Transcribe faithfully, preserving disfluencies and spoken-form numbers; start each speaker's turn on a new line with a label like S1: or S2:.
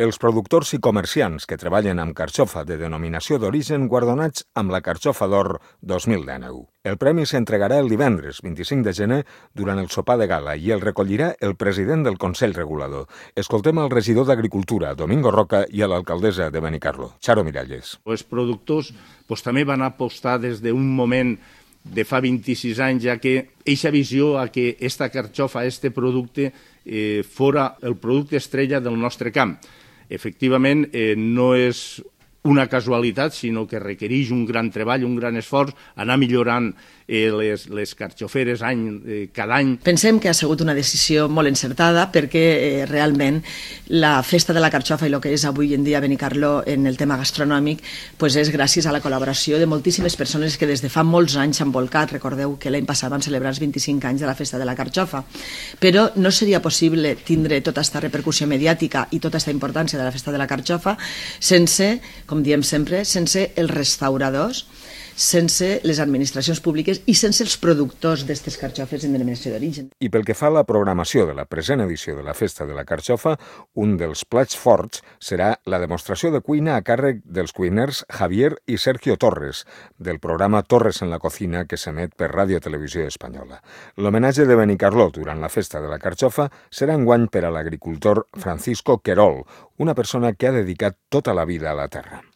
S1: Els productors i comerciants que treballen amb carxofa de denominació d'origen guardonats amb la Carxofa d'Or dos mil dinou. El premi s'entregarà el divendres vint-i-cinc de gener durant el sopar de gala i el recollirà el president del Consell Regulador. Escoltem al regidor d'Agricultura, Domingo Roca, i a l'alcaldessa de Benicarló, Charo Miralles.
S2: Els productors pues, també van apostar des d'un moment de fa vint-i-sis anys, ja que eixa visió a que esta carxofa, este producte, eh, fora el producte estrella del nostre camp. Efectivament, eh, no és una casualitat, sinó que requereix un gran treball, un gran esforç, anar millorant eh, les, les carxoferes any, eh, cada any.
S3: Pensem que ha sigut una decisió molt encertada perquè eh, realment la festa de la carxofa i el que és avui en dia Benicarló en el tema gastronòmic pues és gràcies a la col·laboració de moltíssimes persones que des de fa molts anys s'han volcat. Recordeu que l'any passat van celebrar els vint-i-cinc anys de la festa de la carxofa, però no seria possible tindre tota aquesta repercussió mediàtica i tota aquesta importància de la festa de la carxofa sense, com diem sempre, sense els restauradors, sense les administracions públiques i sense els productors d'aquestes carxofes en denominació d'origen.
S1: I pel que fa a la programació de la present edició de la Festa de la Carxofa, un dels plats forts serà la demostració de cuina a càrrec dels cuiners Javier i Sergio Torres, del programa Torres en la Cocina que s'emet per Ràdio Televisió Espanyola. L'homenatge de Benicarló durant la Festa de la Carxofa serà enguany per a l'agricultor Francisco Querol, una persona que ha dedicat tota la vida a la terra.